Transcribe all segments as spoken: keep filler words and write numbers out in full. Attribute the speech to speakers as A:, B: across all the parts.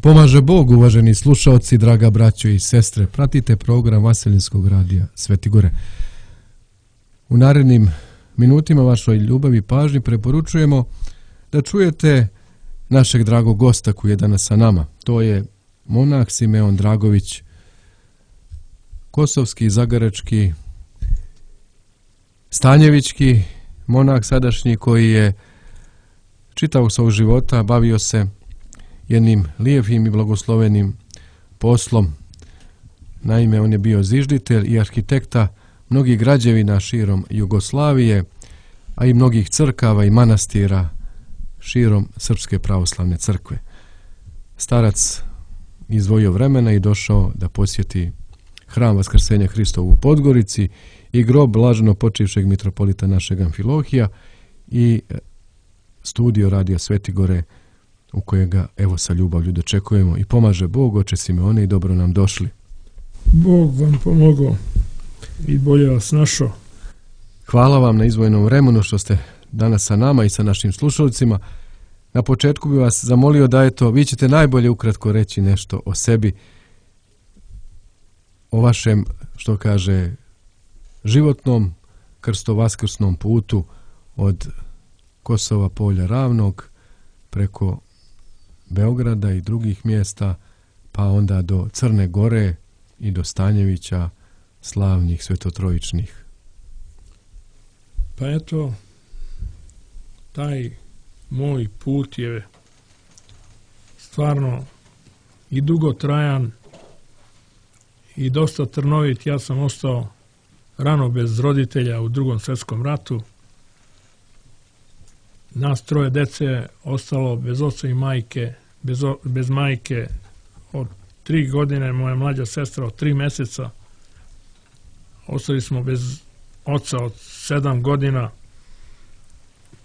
A: Pomaže Bog, uvaženi slušaoci, draga braćo i sestre. Pratite program Vaselinskog radija Sveti Gore. U narednim minutima vašoj ljubavi i pažnji preporučujemo da čujete našeg dragog gosta koji je danas sa nama. To je monah Simeon Dragović, kosovski, zagarački, stanjevički monah sadašnji, koji je čitavog svog života bavio se jednim lijepim i blagoslovenim poslom. Naime, on je bio zižditelj i arhitekta mnogih građevina širom Jugoslavije, a i mnogih crkava i manastira širom Srpske pravoslavne crkve. Starac izdvojio vremena i došao da posjeti hram Vaskrsenja Hristovu u Podgorici i grob blaženo počivšeg mitropolita našeg Amfilohija i studio radija Sveti Gore, u kojega evo sa ljubavlju dočekujemo. I pomaže Bog, oče Simeone, i dobro nam došli.
B: Bog vam pomogao i bolje vas našao.
A: Hvala vam na izdvojenom vremenu što ste danas sa nama i sa našim slušalcima. Na početku bih vas zamolio da eto, vi ćete najbolje ukratko reći nešto o sebi, o vašem, što kaže, životnom krsto-vaskrsnom putu od Kosova polja Ravnog preko Beograda i drugih mjesta, pa onda do Crne Gore i do Stanjevića, slavnih svetotrojičnih.
B: Pa eto, taj moj put je stvarno i dugotrajan i dosta trnovit. Ja sam ostao rano bez roditelja u Drugom svjetskom ratu. Nas troje dece ostalo bez oca i majke, bez, o, bez majke od tri godine, moja mlađa sestra od tri mjeseca. Ostali smo bez oca od sedam godina.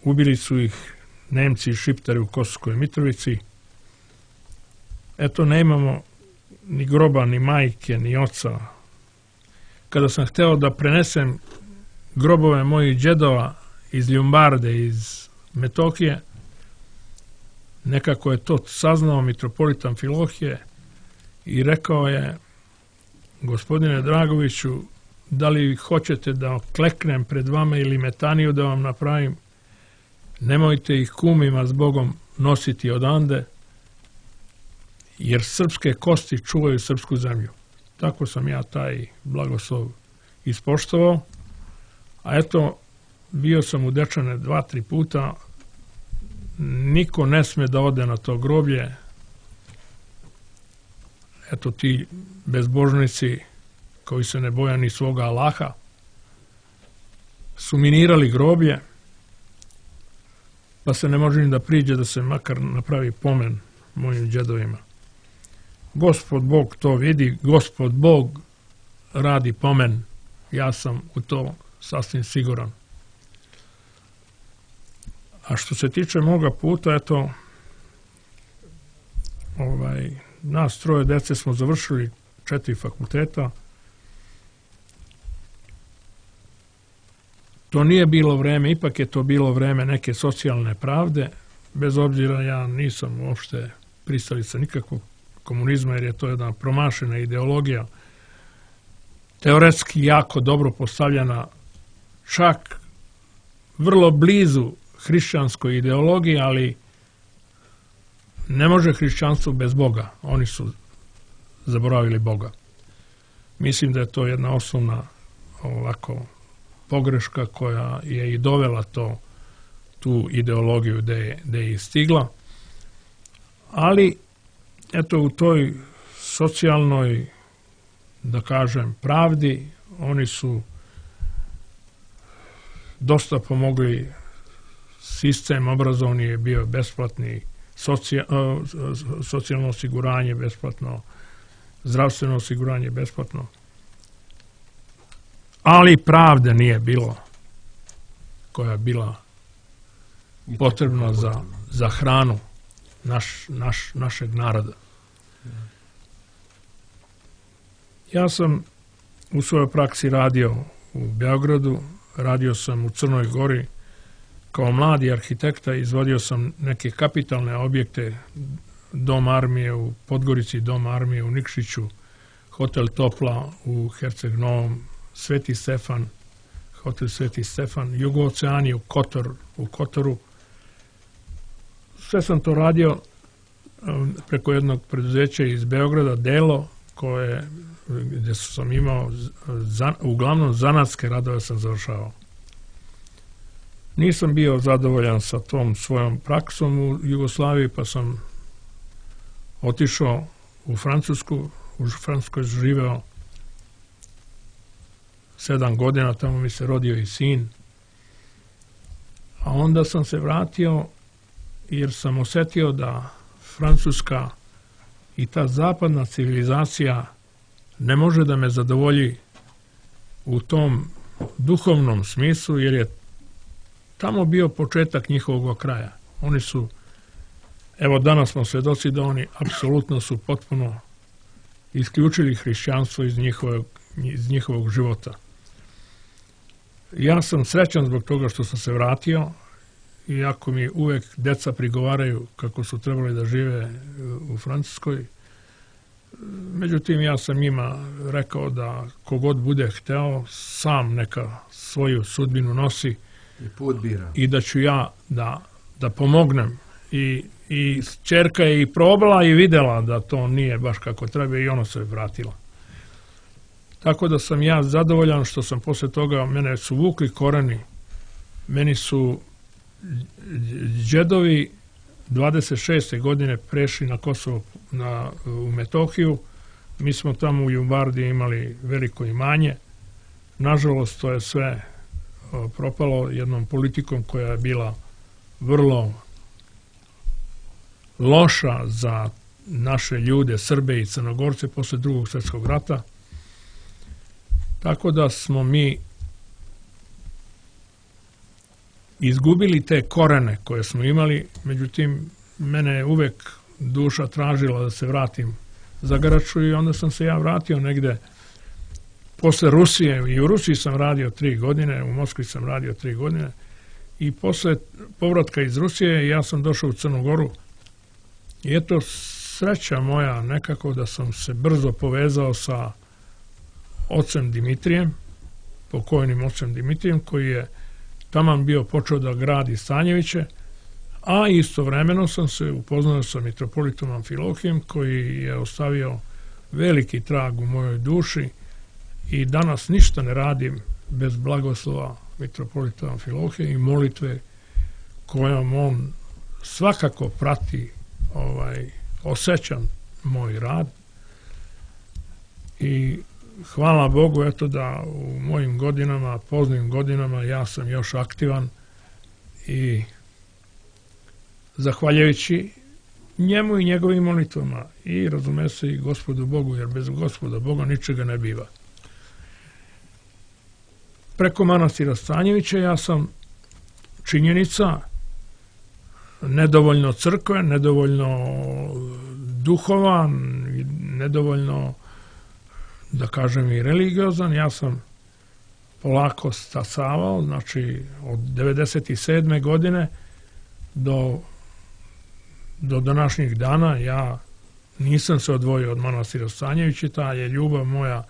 B: Ubili su ih Nemci i Šiptari u Kosovskoj Mitrovici. Eto, nemamo ni groba, ni majke, ni oca. Kada sam hteo da prenesem grobove mojih džedova iz Ljumbarde, iz Metohije, nekako je to saznao mitropolit Amfilohije i rekao je: gospodine Dragoviću, da li hoćete da kleknem pred vama ili metaniju da vam napravim? Nemojte ih kumima s Bogom nositi odande, jer srpske kosti čuvaju srpsku zemlju. Tako sam ja taj blagoslov ispoštovao. A eto, bio sam u Dečane dva, tri puta. Niko ne sme da ode na to groblje. Eto, ti bezbožnici koji se ne boja ni svoga Allaha su minirali groblje, pa se ne može ni da priđe da se makar napravi pomen mojim džedovima. Gospod Bog to vidi, Gospod Bog radi pomen. Ja sam u to sasvim siguran. A što se tiče moga puta, eto, ovaj, nas troje dece smo završili četiri fakulteta. To nije bilo vreme, ipak je to bilo vreme neke socijalne pravde, bez obzira ja nisam uopšte pristalica nikakvog komunizma, jer je to jedna promašena ideologija, teoretski jako dobro postavljena, čak vrlo blizu hrišćanskoj ideologiji, ali ne može hrišćanstvo bez Boga. Oni su zaboravili Boga. Mislim da je to jedna osnovna ovako pogreška koja je i dovela to, tu ideologiju gde je, gde je stigla. Ali, eto, u toj socijalnoj, da kažem, pravdi, oni su dosta pomogli. Sistem obrazovni je bio besplatni, socija, socijalno osiguranje besplatno, zdravstveno osiguranje besplatno. Ali pravde nije bilo koja je bila potrebna za, za hranu naš, naš, našeg naroda. Ja sam u svojoj praksi radio u Beogradu, radio sam u Crnoj Gori. Kao mladi arhitekta izvodio sam neke kapitalne objekte dom armije u Podgorici, dom armije u Nikšiću, hotel Topla u Herceg Novom, Sveti Stefan, hotel Sveti Stefan, Jugooceani u Kotor, u Kotoru. Sve sam to radio preko jednog preduzeća iz Beograda, Delo, koje, gdje sam imao, uglavnom zanatske radove sam završavao. Nisam bio zadovoljan sa tom svojom praksom u Jugoslaviji, pa sam otišao u Francusku, u Francuskoj živeo sedam godina, tamo mi se rodio i sin. A onda sam se vratio jer sam osjetio da Francuska i ta zapadna civilizacija ne može da me zadovolji u tom duhovnom smislu, jer je tamo bio početak njihovog kraja. Oni su, evo danas smo svjedoci da oni apsolutno su potpuno isključili hrišćanstvo iz njihovog, iz njihovog života. Ja sam srećan zbog toga što sam se vratio, iako mi uvek deca prigovaraju kako su trebali da žive u Francuskoj. Međutim, ja sam njima rekao da kogod bude hteo, sam neka svoju sudbinu nosi
A: i put bira.
B: I da ću ja da, da pomognem. I, i ćerka je i probala i videla da to nije baš kako treba i ona se vratila. Tako da sam ja zadovoljan što sam posle toga, mene su vukli koreni, meni su džedovi dvadeset šeste godine prešli na Kosovo, na, u Metohiju. Mi smo tamo u Jumbardi imali veliko imanje. Nažalost, to je sve propalo jednom politikom koja je bila vrlo loša za naše ljude, Srbe i Crnogorce posle drugog svjetskog rata. Tako da smo mi izgubili te korene koje smo imali, međutim, mene je uvek duša tražila da se vratim za Garaču i onda sam se ja vratio negde posle Rusije. I u Rusiji sam radio tri godine, u Moskvi sam radio tri godine i posle povratka iz Rusije ja sam došao u Crnu Goru i eto sreća moja nekako da sam se brzo povezao sa ocem Dimitrijem, pokojnim ocem Dimitrijem, koji je taman bio počeo da gradi Stanjeviće, a istovremeno sam se upoznao sa mitropolitom Amfilohijem, koji je ostavio veliki trag u mojoj duši i danas ništa ne radim bez blagoslova mitropolita Amfilohije i molitve kojom on svakako prati, ovaj, osjećam moj rad i hvala Bogu eto da u mojim godinama, poznim godinama, ja sam još aktivan i zahvaljujući njemu i njegovim molitvama i razume se i Gospodu Bogu, jer bez Gospoda Boga ničega ne biva. Preko manastira Stanjevića ja sam činjenica nedovoljno crkve, nedovoljno duhovan, nedovoljno, da kažem, i religiozan. Ja sam polako stasavao, znači od devedeset sedme godine do, do današnjih dana ja nisam se odvojio od manastira Stanjevića, ta je ljubav moja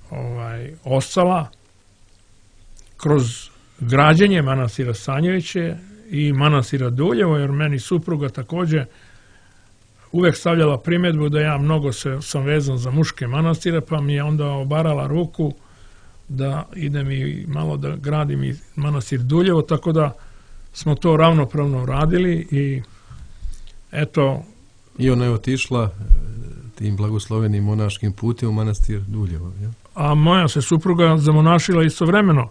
B: ovaj, ostala kroz građenje manastira Stanjevića i manastira Duljevo, jer meni supruga također uvek stavljala primjedbu da ja mnogo se, sam vezan za muške manastire, pa mi je onda obarala ruku da idem i malo da gradim i manastir Duljevo, tako da smo to ravnopravno radili i eto.
A: I ona je otišla tim blagoslovenim monaškim putem u manastir Duljevo. Ja?
B: A moja se supruga zamonašila istovremeno.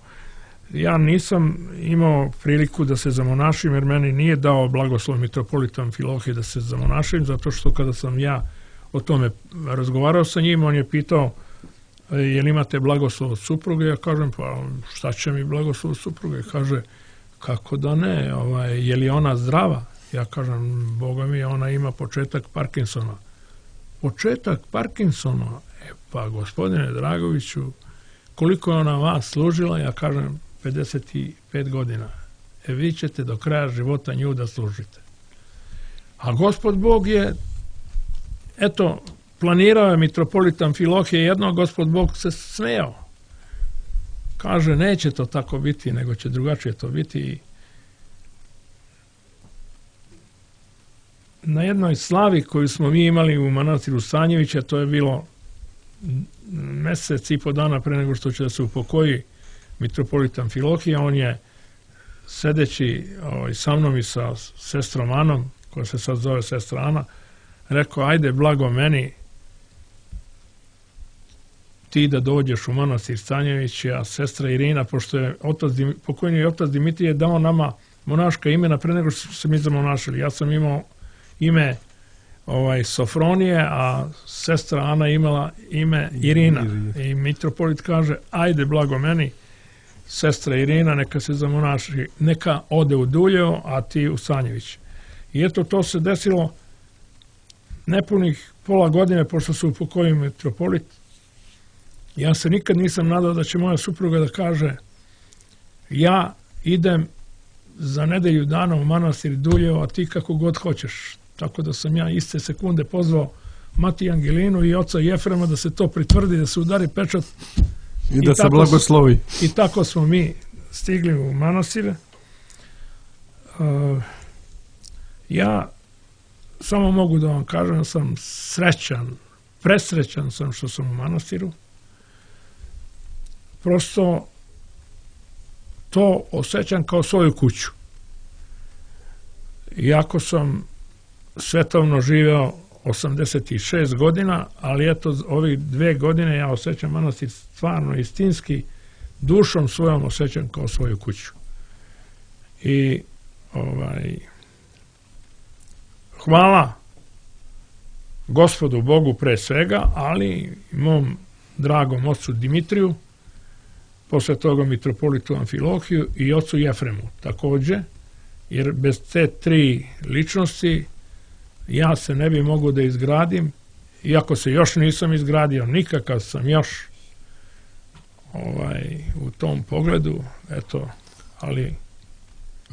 B: Ja nisam imao priliku da se zamonašim, jer meni nije dao blagoslov mitropolita Amfilohije da se zamonašim, zato što kada sam ja o tome razgovarao sa njim, on je pitao je li imate blagoslov od supruge, ja kažem pa šta će mi blagoslov od supruge, kaže kako da ne, ovaj, je li ona zdrava, ja kažem Boga mi ona ima početak Parkinsona. Početak Parkinsona, e pa gospodine Dragoviću, koliko je ona vas služila, ja kažem pedeset pet godina. E vi ćete do kraja života nju da služite. A Gospod Bog je, eto, planirao je mitropolit Amfilohije jedno, Gospod Bog se smejao. Kaže, neće to tako biti, nego će drugačije to biti. Na jednoj slavi koju smo mi imali u manastiru Stanjevića, to je bilo mesec i po dana pre nego što će da se upokoji mitropolit Amfilohije, on je sedeći ovaj, sa mnom i sa sestrom Anom, koja se sad zove sestra Ana, rekao, ajde blago meni ti da dođeš u manastir Stanjević, a sestra Irina, pošto je otac, pokojni otac Dimitrije dao nama monaška imena pre nego što se mi zamonašili. Ja sam imao ime ovaj, Sofronije, a sestra Ana imala ime Irina. I mitropolit kaže, ajde blago meni, sestra Irina, neka se zamonaši, neka ode u Duljevo, a ti u Stanjević. I eto, to se desilo nepunih pola godine, pošto su upokojili mitropolit. Ja se nikad nisam nadao da će moja supruga da kaže, ja idem za nedelju dana u manastir Duljevo, a ti kako god hoćeš. Tako da sam ja iste sekunde pozvao Matiju Angelinu i oca Jefrema da se to pritvrdi, da se udari pečat.
A: I da se blagoslovi.
B: I tako smo mi stigli u manastire. Uh, ja samo mogu da vam kažem, sam srećan, presrećan sam što sam u manastiru. Prosto to osjećam kao svoju kuću. Iako sam svetovno živeo osamdeset šest godina, ali eto, ovih dve godine ja osjećam manastir stvarno istinski, dušom svojom osjećam kao svoju kuću. I ovaj, hvala Gospodu Bogu pre svega, ali mom dragom ocu Dimitriju, posle toga mitropolitu Amfilohiju i ocu Jefremu takođe, jer bez te tri ličnosti ja se ne bi mogao da izgradim, iako se još nisam izgradio nikakav sam još ovaj, u tom pogledu, eto, ali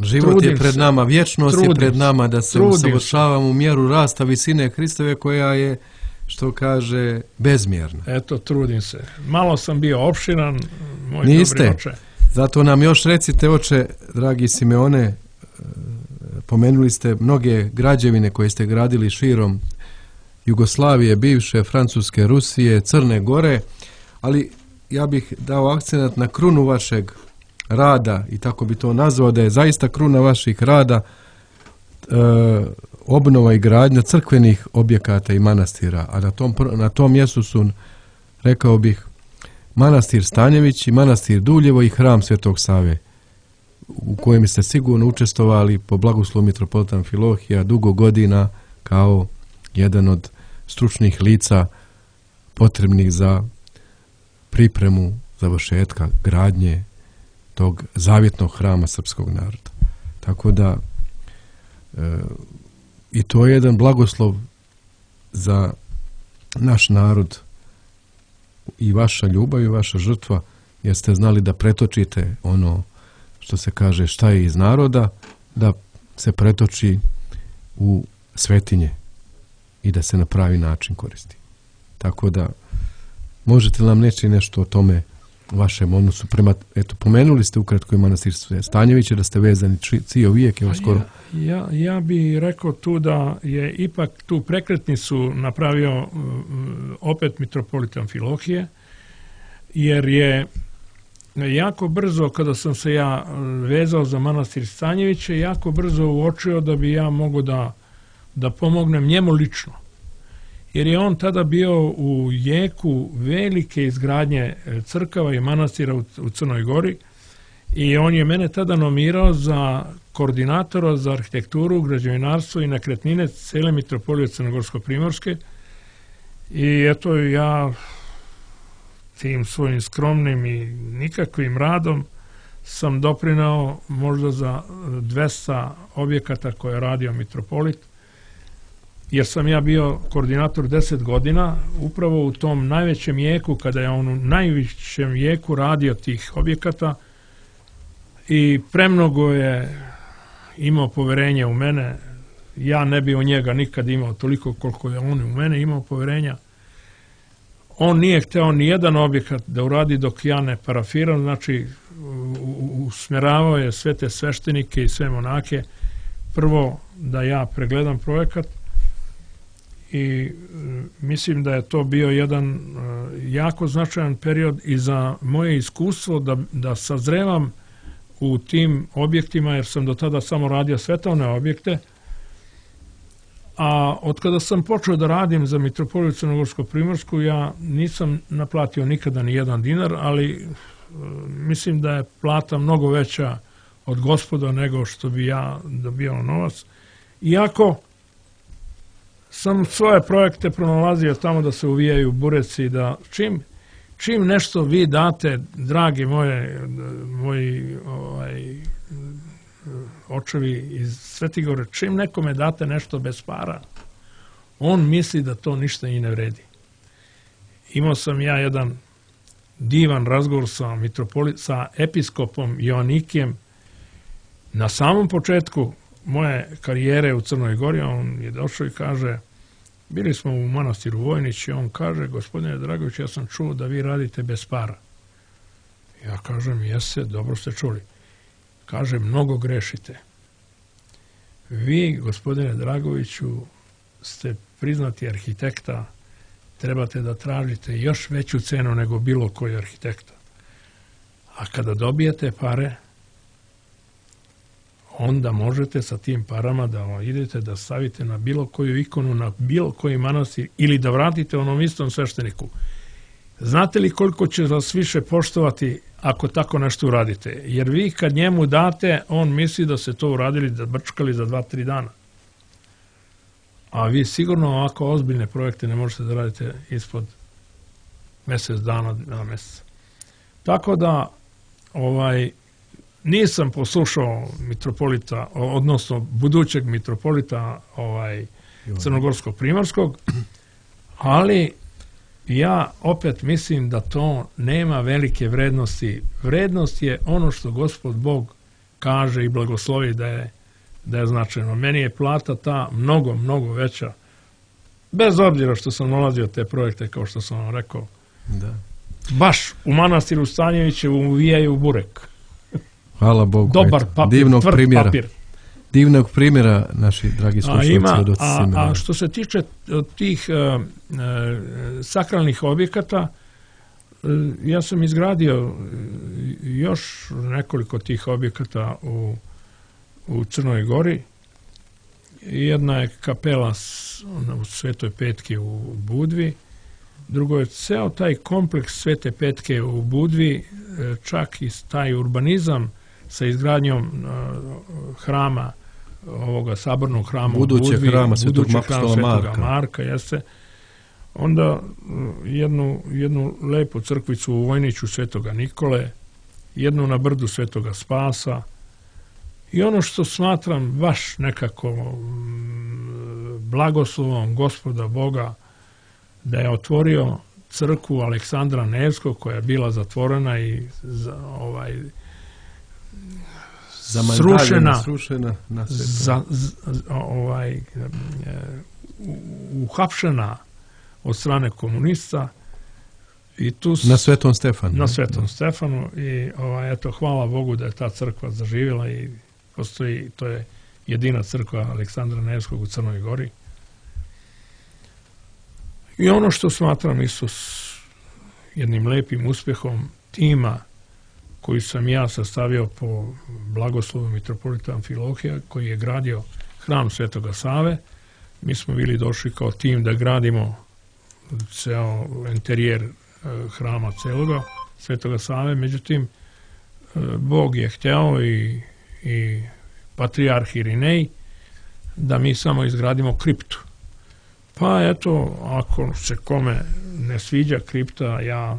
A: život je pred nama, vječnost je pred nama da se usavršavamo u mjeru rasta visine Hristove koja je, što kaže, bezmjerna.
B: Eto, trudim se. Malo sam bio opširan, moj
A: Niste.
B: Dobri oče.
A: Zato nam još recite, oče, dragi Simeone, pomenuli ste mnoge građevine koje ste gradili širom Jugoslavije, bivše, Francuske, Rusije, Crne Gore, ali ja bih dao akcenat na krunu vašeg rada i tako bi to nazvao, da je zaista kruna vaših rada e, obnova i gradnja crkvenih objekata i manastira, a na tom, na tom mjestu su, rekao bih, manastir Stanjević i manastir Duljevo i hram Svetog Save, u kojem ste sigurno učestvovali po blagoslovu mitropolita Amfilohija dugo godina kao jedan od stručnih lica potrebnih za pripremu završetka gradnje tog zavjetnog hrama srpskog naroda. Tako da e, i to je jedan blagoslov za naš narod i vaša ljubav i vaša žrtva, jer ste znali da pretočite ono što se kaže šta je iz naroda, da se pretoči u svetinje i da se na pravi način koristi. Tako da možete li nam reći nešto o tome vašem odnosu prema, eto, pomenuli ste ukratko i manastir Stanjevića, da ste vezani cijel vijek, evo skoro.
B: Ja, ja, ja bih rekao tu da je ipak tu prekretnicu napravio uh, opet mitropolit Amfilohije, jer je jako brzo, kada sam se ja vezao za manastir Stanjevića, jako brzo uočio da bi ja mogao da, da pomognem njemu lično. Jer je on tada bio u jeku velike izgradnje crkava i manastira u, u Crnoj Gori i on je mene tada nomirao za koordinatora za arhitekturu, građevinarstvo i nekretnine cele mitropolije Crnogorsko-Primorske. I eto, ja tim svojim skromnim i nikakvim radom sam doprinao možda za dvesta objekata koje je radio mitropolit, jer sam ja bio koordinator deset godina, upravo u tom najvećem jeku, kada je on u najvećem jeku radio tih objekata i premnogo je imao poverenje u mene, ja ne bi o njega nikad imao toliko koliko je on u mene imao poverenja. On nije hteo ni jedan objekat da uradi dok ja ne parafiram, znači usmjeravao je sve te sveštenike i sve monake prvo da ja pregledam projekat i mislim da je to bio jedan jako značajan period i za moje iskustvo da, da sazrevam u tim objektima, jer sam do tada samo radio svetovne objekte, a od kada sam počeo da radim za Mitropoliju Crnogorsko-Primorsku, ja nisam naplatio nikada ni jedan dinar, ali mislim da je plata mnogo veća od Gospoda nego što bi ja dobijao novac. Iako sam svoje projekte pronalazio tamo da se uvijaju bureci, da čim, čim nešto vi date, dragi moje, moji ovaj, očevi iz Svetigore, čim nekome date nešto bez para, on misli da to ništa i ne vredi. Imao sam ja jedan divan razgovor sa, mitropoli, sa episkopom Joanikijem na samom početku moje karijere u Crnoj Gori. On je došao i kaže, bili smo u manastiru Vojnić i on kaže, gospodine Dragović, ja sam čuo da vi radite bez para. Ja kažem, jeste, dobro ste čuli. Kaže, mnogo grešite. Vi, gospodine Dragoviću, ste priznati arhitekta, trebate da tražite još veću cenu nego bilo koji arhitekta. A kada dobijete pare, onda možete sa tim parama da idete da stavite na bilo koju ikonu, na bilo koji manastir ili da vratite onom istom svešteniku. Znate li koliko će vas više poštovati ako tako nešto uradite? Jer vi kad njemu date, on misli da se to uradili, da brčkali za dva, tri dana. A vi sigurno ovako ozbiljne projekte ne možete da radite ispod mjesec dana, dva mjeseca. Tako da, ovaj, nisam poslušao mitropolita, odnosno budućeg mitropolita ovaj, Crnogorsko-Primorskog, ali ja opet mislim da to nema velike vrednosti. Vrednost je ono što Gospod Bog kaže i blagoslovi da je, da je značajno. Meni je plata ta mnogo, mnogo veća. Bez obzira što sam nalazio te projekte, kao što sam vam rekao.
A: Da.
B: Baš u manastiru Stanjeviće uvijaju burek.
A: Hvala Bogu.
B: Dobar papir,
A: divnog
B: tvrd
A: primjera.
B: papir.
A: Divnog primjera, naši dragi slušalci.
B: A, a, a što se tiče tih uh, uh, sakralnih objekata, uh, ja sam izgradio još nekoliko tih objekata u, u Crnoj Gori. Jedna je kapela u Svetoj Petki u Budvi, drugo je ceo taj kompleks Svete Petke u Budvi, čak i taj urbanizam sa izgradnjom uh, hrama, ovoga sabornog hrama
A: budućeg
B: u Budvi,
A: hrama Svetog
B: Marka, Marka jeste. Onda uh, jednu, jednu lepu crkvicu u Vojniću Svetoga Nikole, jednu na brdu Svetoga Spasa i ono što smatram baš nekako um, blagoslovom Gospoda Boga da je otvorio crkvu Aleksandra Nevskog koja je bila zatvorena i za, ovaj, srušena,
A: srušena na
B: za, z, ovaj, uhapšena od strane komunista i tu
A: na Svetom Stefanu.
B: Na Svetom Stefanu i ovaj, eto, hvala Bogu da je ta crkva zaživjela i postoji, to je jedina crkva Aleksandra Nevskog u Crnoj Gori. I ono što smatram isto jednim lepim uspjehom tima koji sam ja sastavio po blagoslovu mitropolita Amfilohija, koji je gradio hram Svetoga Save. Mi smo bili došli kao tim da gradimo ceo interijer hrama celoga Svetoga Save, međutim Bog je hteo i, i patrijarh Irinej da mi samo izgradimo kriptu. Pa eto, ako se kome ne sviđa kripta, ja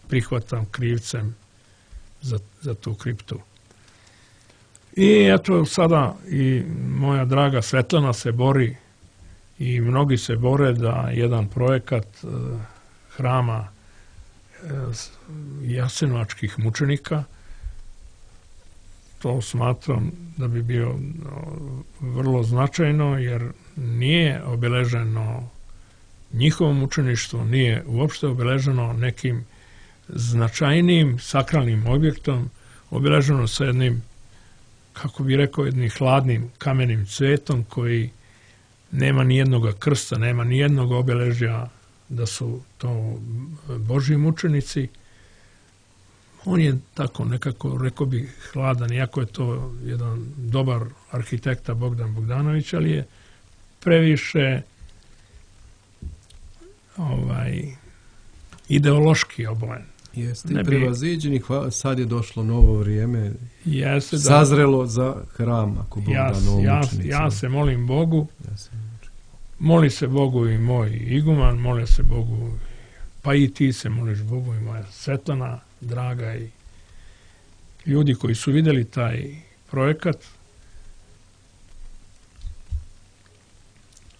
B: prihvatam krivcem za, za tu kriptu. I eto, sada i moja draga Svetlana se bori i mnogi se bore da jedan projekat eh, hrama eh, jasenovačkih mučenika, to smatram da bi bio vrlo značajno, jer nije obeleženo njihovo mučeništvo, nije uopšte obeleženo nekim značajnim sakralnim objektom, obeleženo sa jednim, kako bi rekao, jednim hladnim kamenim cvetom koji nema ni jednog krsta, nema ni jednog obeležja da su to Božji mučenici. On je tako nekako, rekao bih, hladan, iako je to jedan dobar arhitekta Bogdan Bogdanović, ali je previše ovaj, ideološki obojen.
A: Jeste, i prevaziđeni, sad je došlo novo vrijeme,
B: jeste,
A: sazrelo za hram, ako Bog
B: ja,
A: da novom
B: ja,
A: učenicima.
B: ja se molim Bogu,
A: Ja se
B: moli se Bogu i moj iguman, moli se Bogu, pa i ti se moliš Bogu i moja Svetlana, draga, i ljudi koji su vidjeli taj projekat.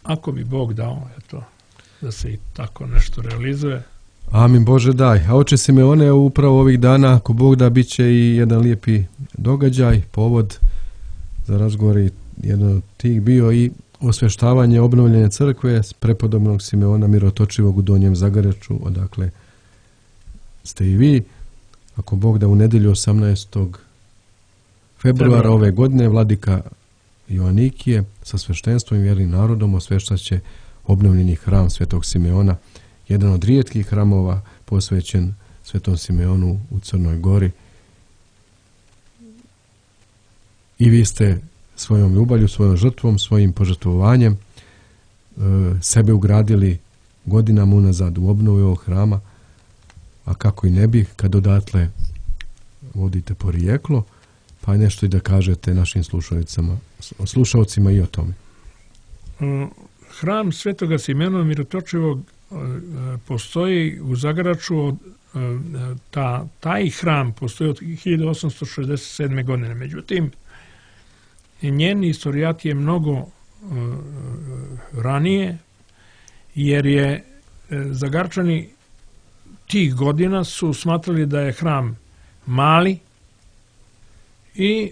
B: Ako bi Bog dao, eto, da se i tako nešto realizuje.
A: Amin Bože daj. A oče Simeone, upravo ovih dana, ako Bog da, bit će i jedan lijepi događaj, povod za razgovor, i jedan od tih bio i osvještavanje obnovljene crkve s prepodobnog Simeona Mirotočivog u Donjem Zagaraču, odakle ste i vi. Ako Bog da, u nedjelju osamnaestog februara ove godine vladika Joanikije sa sveštenstvom i vjernim narodom osveštat će obnovljeni hram Svetog Simeona, jedan od rijetkih hramova posvećen Svetom Simeonu u Crnoj Gori. I vi ste svojom ljubavlju, svojom žrtvom, svojim požrtvovanjem e, sebe ugradili godinama unazad u obnovu ovog hrama, a kako i ne bi, kad odatle vodite porijeklo, pa nešto i da kažete našim slušaocima, slušaocima i o tome.
B: Hram Svetoga Simeona Mirotočivog postoji u Zagaraču, ta, taj hram postoji od hiljadu osamsto šezdeset sedme. godine. Međutim, njen istorijat je mnogo ranije, jer je Zagarčani tih godina su smatrali da je hram mali i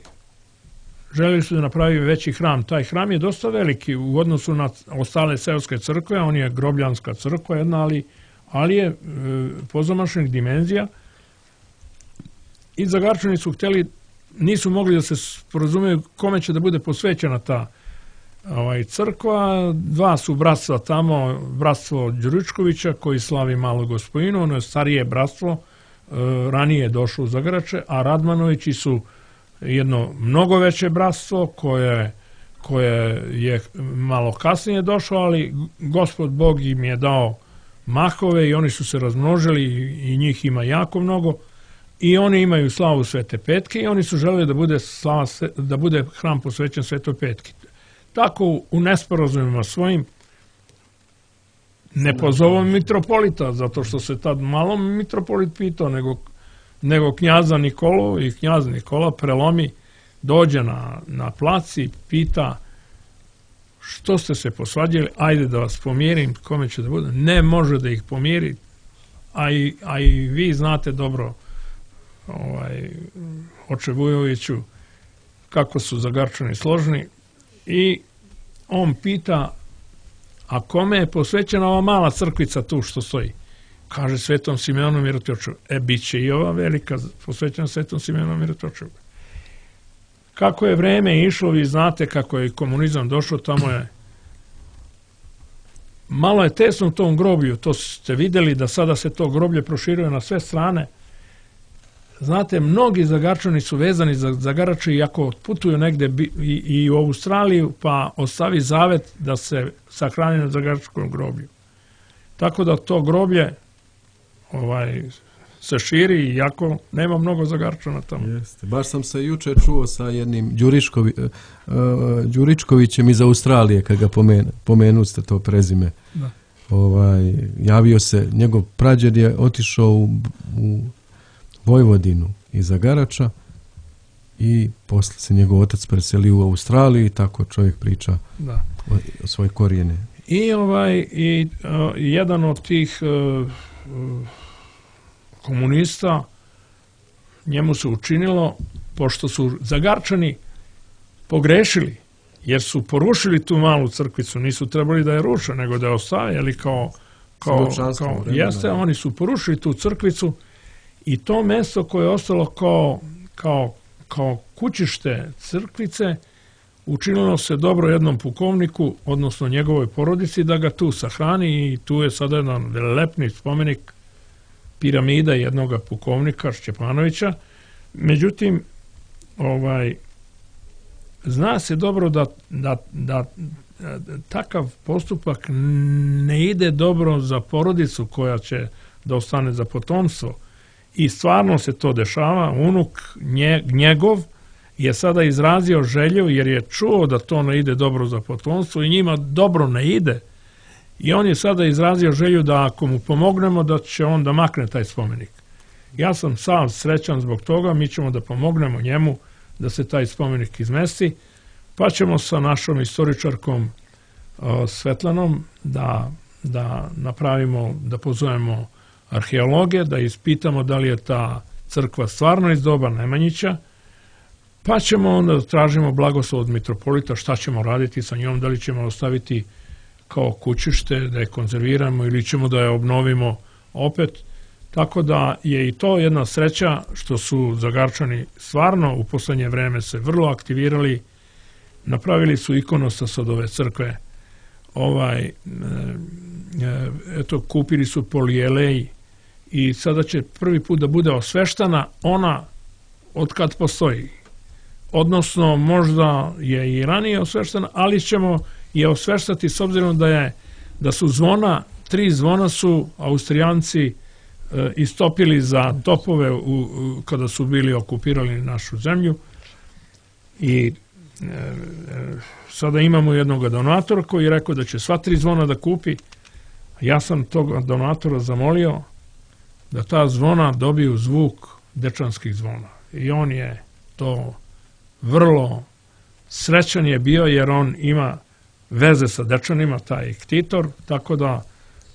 B: želeli su da napravi veći hram. Taj hram je dosta veliki u odnosu na ostale seoske crkve, on je grobljanska crkva jedna, ali, ali je e, pozamašnih dimenzija. I Zagarčani su htjeli, nisu mogli da se sporazumeju kome će da bude posvećena ta ovaj, crkva. Dva su bratstva tamo, bratstvo Đuričkovića koji slavi Malu Gospojinu, ono je starije bratstvo, e, ranije je došlo u Zagarače, a Radmanovići su jedno mnogo veće bratstvo koje, koje je malo kasnije došlo, ali Gospod Bog im je dao mahove i oni su se razmnožili i njih ima jako mnogo i oni imaju slavu Svete Petke i oni su želeli da bude, slava, da bude hram posvećen Svetoj Petki. Tako u nesporazumima svojim ne pozovom mitropolita, zato što se tad malo mitropolit pitao, nego nego knjaza Nikolu, i knjaz Nikola prelomi, dođe na, na plac i pita što ste se posvađali, ajde da vas pomirim, kome će da bude. Ne može da ih pomiri, a i, a i vi znate dobro, ovaj, oče Vujoviću, kako su Zagarčani složni, i on pita, a kome je posvećena ova mala crkvica tu što stoji? Kaže Svetom Simeonu Mirotočevu. E, bit će i ova velika posvećena Svetom Simeonu Mirotočevu. Kako je vreme išlo, vi znate kako je komunizam došao, tamo je malo je tesno u tom groblju, to ste vidjeli da sada se to groblje proširuje na sve strane. Znate, mnogi Zagarčani su vezani za Zagarače i ako putuju negde i, i u Australiju, pa ostavi zavet da se sahrani na Zagaračkom groblju. Tako da to groblje ovaj, se širi, iako nema mnogo Zagarčana tamo.
A: Jeste. Baš sam se juče čuo sa jednim Đuričkovi, uh, Đuričkovićem iz Australije, kad ga pomenu, pomenu ste to prezime.
B: Da.
A: Ovaj, javio se, njegov prađed je otišao u, u Vojvodinu iz Zagarača i posle se njegov otac preselio u Australiju i tako čovjek priča
B: da.
A: o, o svoje korijene.
B: I, ovaj, i uh, jedan od tih uh, uh, komunista, njemu se učinilo pošto su Zagarčani pogrešili, jer su porušili tu malu crkvicu, nisu trebali da je ruše, nego da je ostavili kao, kao, kao jeste, oni su porušili tu crkvicu i to mesto koje je ostalo kao, kao, kao kućište crkvice, učinilo se dobro jednom pukovniku, odnosno njegovoj porodici, da ga tu sahrani i tu je sada jedan velelepni spomenik piramida jednog pukovnika Šćepanovića. Međutim, ovaj, zna se dobro da, da, da takav postupak ne ide dobro za porodicu koja će da ostane za potomstvo. I stvarno se to dešava. Unuk nje, njegov je sada izrazio želju jer je čuo da to ne ide dobro za potomstvo i njima dobro ne ide. I on je sada izrazio želju da ako mu pomognemo da će on da makne taj spomenik. Ja sam sam srećan zbog toga, mi ćemo da pomognemo njemu da se taj spomenik izmesti, pa ćemo sa našom istoričarkom uh, Svetlanom da, da napravimo, da pozovemo arheologe, da ispitamo da li je ta crkva stvarno iz doba Nemanjića, pa ćemo onda da tražimo blagoslov od mitropolita šta ćemo raditi sa njom, da li ćemo ostaviti kao kućište, da je konzerviramo ili ćemo da je obnovimo opet. Tako da je i to jedna sreća što su Zagarčani stvarno u poslednje vreme se vrlo aktivirali, napravili su ikonostas od ove crkve, ovaj, eto, kupili su polijelej i sada će prvi put da bude osveštana ona od kad postoji. Odnosno, možda je i ranije osveštana, ali ćemo je osveštati s obzirom da je da su zvona, tri zvona su Austrijanci e, istopili za topove u, u, kada su bili okupirali našu zemlju i e, e, sada imamo jednog donatora koji je rekao da će sva tri zvona da kupi. Ja sam tog donatora zamolio da ta zvona dobiju zvuk dečanskih zvona i on je to vrlo srećan je bio jer on ima veze sa Dečanima, taj ktitor, tako da,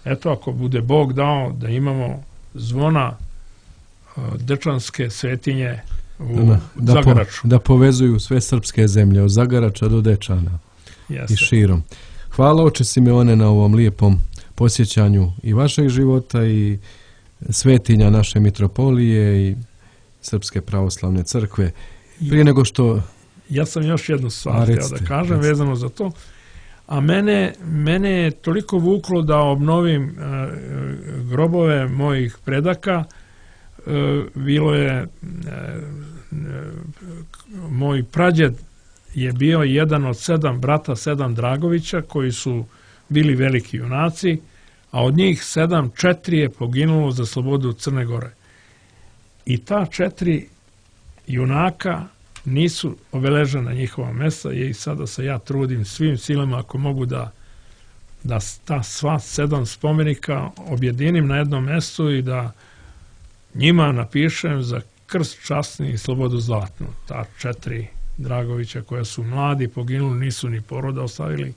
B: eto, ako bude Bog dao da imamo zvona dečanske svetinje u da, da, Zagaraču.
A: Po, da povezuju sve srpske zemlje, od Zagarača do Dečana.
B: Jeste.
A: I širom. Hvala oče Simeone na ovom lijepom posjećanju i vašeg života i svetinja naše mitropolije i Srpske pravoslavne crkve. Prije nego što...
B: Ja sam još jednu stvar htio da kažem recite. Vezano za to. A mene, mene je toliko vuklo da obnovim e, grobove mojih predaka. E, bilo je... E, moj prađed je bio jedan od sedam brata, sedam Dragovića, koji su bili veliki junaci, a od njih sedam, četiri je poginulo za slobodu Crne Gore. I ta četiri junaka nisu obeležena njihova mesta i sada se ja trudim svim silama ako mogu da, da ta sva sedam spomenika objedinim na jednom mestu i da njima napišem za krst časni i slobodu zlatnu. Ta četiri Dragovića koja su mladi, poginuli, nisu ni poroda ostavili.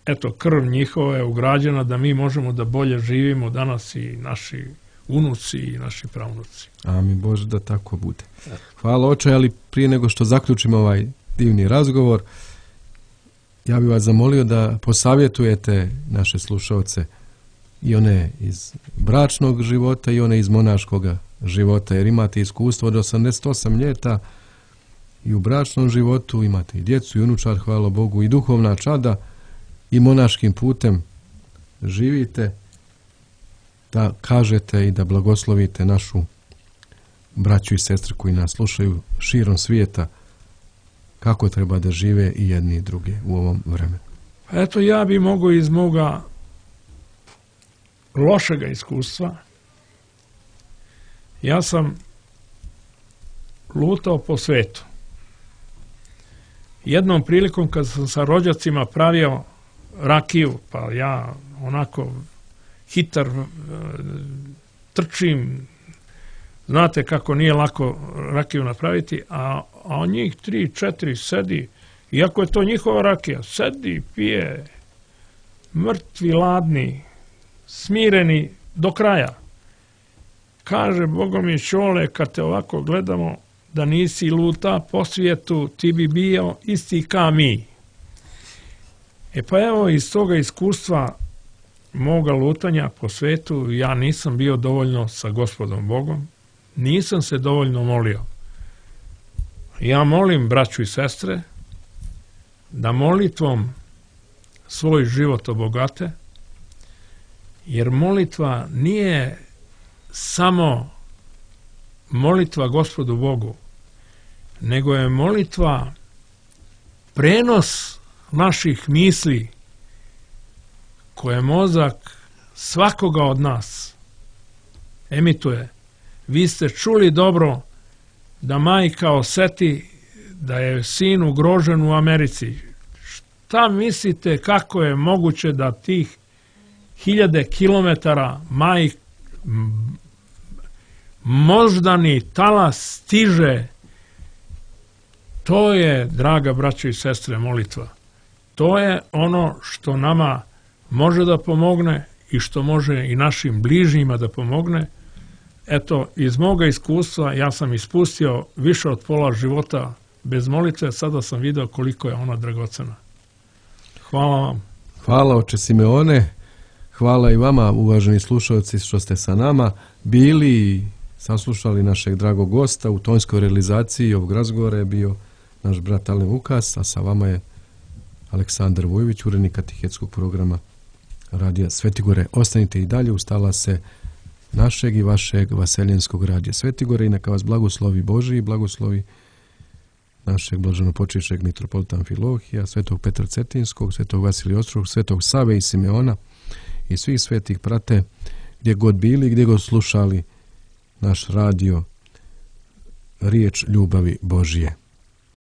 B: Eto, krv njihova je ugrađena da mi možemo da bolje živimo danas i naši unuci i naši pravnuci.
A: Amin Bože da tako bude. Hvala oče, ali prije nego što zaključimo ovaj divni razgovor, ja bih vas zamolio da posavjetujete naše slušalce i one iz bračnog života i one iz monaškog života, jer imate iskustvo od osamdeset osam ljeta i u bračnom životu, imate i djecu i unučad, hvala Bogu, i duhovna čada i monaškim putem živite, da kažete i da blagoslovite našu braću i sestre koji nas slušaju širom svijeta kako treba da žive i jedni i drugi u ovom vremenu.
B: Eto, ja bi mogao iz moga lošega iskustva. Ja sam lutao po svetu. Jednom prilikom kad sam sa rođacima pravio rakiju, pa ja onako hitar trčim, znate kako nije lako rakiju napraviti, a, a njih tri, četiri sedi, iako je to njihova rakija, sedi, pije, mrtvi, ladni, smireni do kraja. Kaže, Bogo mi Ćole, kad te ovako gledamo, da nisi luta po svijetu, ti bi bio isti ka mi. E pa evo, iz toga iskustva moga lutanja po svetu, ja nisam bio dovoljno sa Gospodom Bogom, nisam se dovoljno molio. Ja molim braću i sestre da molitvom svoj život obogate, jer molitva nije samo molitva Gospodu Bogu, nego je molitva prenos naših misli koje mozak svakoga od nas emituje. Vi ste čuli dobro da majka oseti da je sin ugrožen u Americi. Šta mislite kako je moguće da tih hiljade kilometara maj, moždani talas stiže? To je, draga braćo i sestre, molitva. To je ono što nama može da pomogne i što može i našim bližnjima da pomogne. Eto, iz moga iskustva ja sam ispustio više od pola života bez molitve, sada sam video koliko je ona dragocena. Hvala vam.
A: Hvala, oče Simeone. Hvala i vama, uvaženi slušalci, što ste sa nama bili i saslušali našeg dragog gosta. U tonskoj realizaciji ovog razgovora je bio naš brat Alen Vukas, a sa vama je Aleksandar Vujović, urednik katehetskog programa Radija Svetigore. Ostanite i dalje uz talase našeg i vašeg vaseljenskog Radija Svetigore i neka vas blagoslovi Božji i blagoslovi našeg blaženopočivšeg mitropolita Amfilohija, svetog Petra Cetinskog, svetog Vasilija Ostrog, svetog Save i Simeona i svih svetih prate gdje god bili, gdje god slušali naš radio, riječ ljubavi Božije.